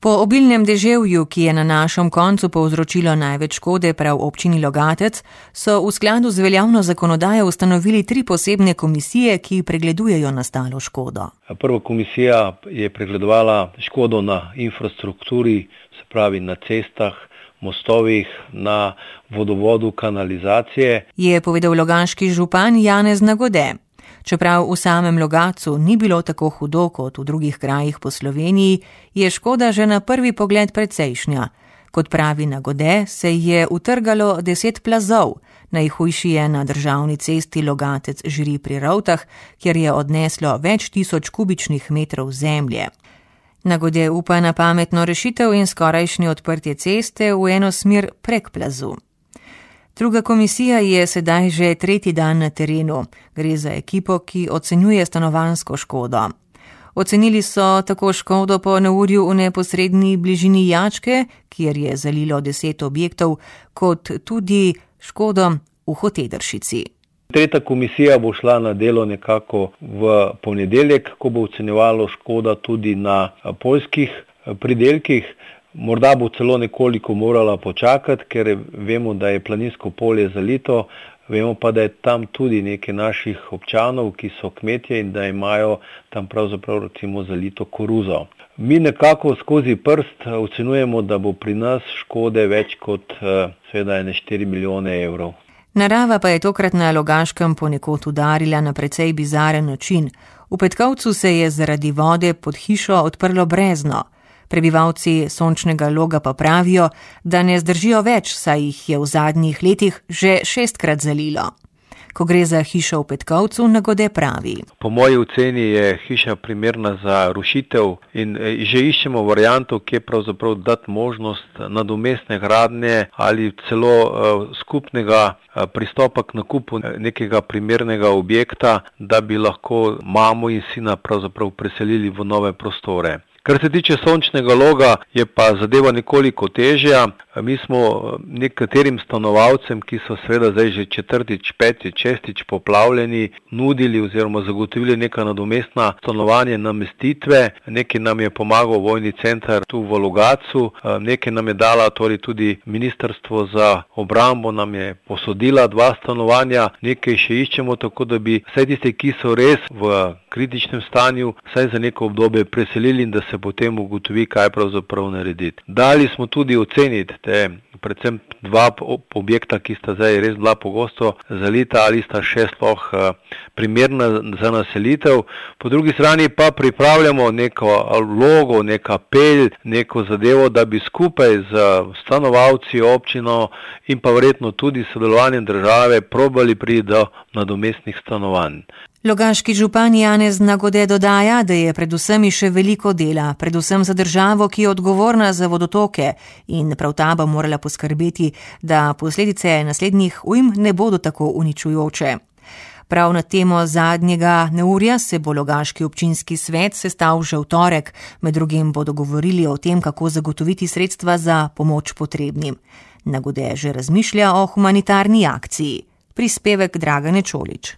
Po obilnem deževju, ki je na našem koncu povzročilo največ škode prav občini Logatec, so v skladu z veljavno zakonodajo ustanovili 3 posebne komisije, ki pregledujejo nastalo škodo. Prva komisija je pregledovala škodo na infrastrukturi, se pravi na cestah, mostovih, na vodovodu, kanalizacije. Je povedal logaški župan Janez Nagode. Čeprav v samem Logatcu ni bilo tako hudo kot v drugih krajih po Sloveniji, je škoda že na prvi pogled precejšnja. Kot pravi Nagode, se je utrgalo 10 plazov. Najhujši je na državni cesti Logatec-Žiri pri Rovtah, kjer je odneslo več tisoč kubičnih metrov zemlje. Nagode upa na pametno rešitev in skorajšnje odprtje ceste v eno smer prek plazu. Druga komisija je sedaj že 3. dan na terenu. Gre za ekipo, ki ocenjuje stanovanjsko škodo. Ocenili so tako škodo po neurju v neposredni bližini Jačke, kjer je zalilo 10 objektov, kot tudi škodo v Hotedršici. Tretja komisija bo šla na delo nekako v ponedeljek, ko bo ocenjevalo škoda tudi na poljskih pridelkih. Morda bo celo nekoliko morala počakati, ker vemo, da je planinsko polje zalito, vemo pa, da je tam tudi nekaj naših občanov, ki so kmetje in da imajo tam pravzaprav recimo zalito koruzo. Mi nekako skozi prst ocenjujemo, da bo pri nas škode več kot seveda 4 milijone evrov. Narava pa je tokrat na Logaškem ponekod udarila na precej bizaren način. V Petkovcu se je zaradi vode pod hišo odprlo brezno. Prebivalci Sončnega Loga pa pravijo, da ne zdržijo več, saj jih je v zadnjih letih že 6-krat zalilo. Ko gre za hišo v Petkovcu, Nagode pravi. Po moji oceni je hiša primerna za rušitev in že iščemo varianto, kje pravzaprav dati možnost nadomestne gradnje ali celo skupnega pristopa k nakupu nekega primernega objekta, da bi lahko mamo in sina pravzaprav preselili v nove prostore. Kar se tiče Sončnega Loga, je pa zadeva nekoliko težja. Mi smo nekaterim stanovalcem, ki so seveda zdaj že 4., 5., 6. poplavljeni, nudili oziroma zagotovili neka nadomestna stanovanje, namestitve. Nekaj nam je pomagal vojni center tu v Logatcu, nekaj nam je dala tudi Ministrstvo za obrambo, nam je posodila 2 stanovanja, nekaj še iščemo, tako da bi vse tiste, ki so res v kritičnem stanju, vsaj za neko obdobje preselili in da se potem ugotovi, kaj pravzaprav narediti. Dali smo tudi oceniti predvsem 2 objekta, ki sta zdaj res bila pogosto zalita ali sta še sploh primerna za naselitev. Po drugi strani pa pripravljamo neko vlogo, nek apel, neko zadevo, da bi skupaj z stanovalci, občino in pa verjetno tudi sodelovanjem države probali priti do nadomestnih stanovanj. Logaški župan Janez Nagode dodaja, da je pred vsemi še veliko dela, predvsem za državo, ki je odgovorna za vodotoke in prav ta bo morala poskrbeti, da posledice naslednjih ujm ne bodo tako uničujoče. Prav na temo zadnjega neurja se bo Logaški občinski svet sestal že v torek, med drugim bodo govorili o tem, kako zagotoviti sredstva za pomoč potrebnim. Nagode že razmišlja o humanitarni akciji. Prispevek Dragane Čolič.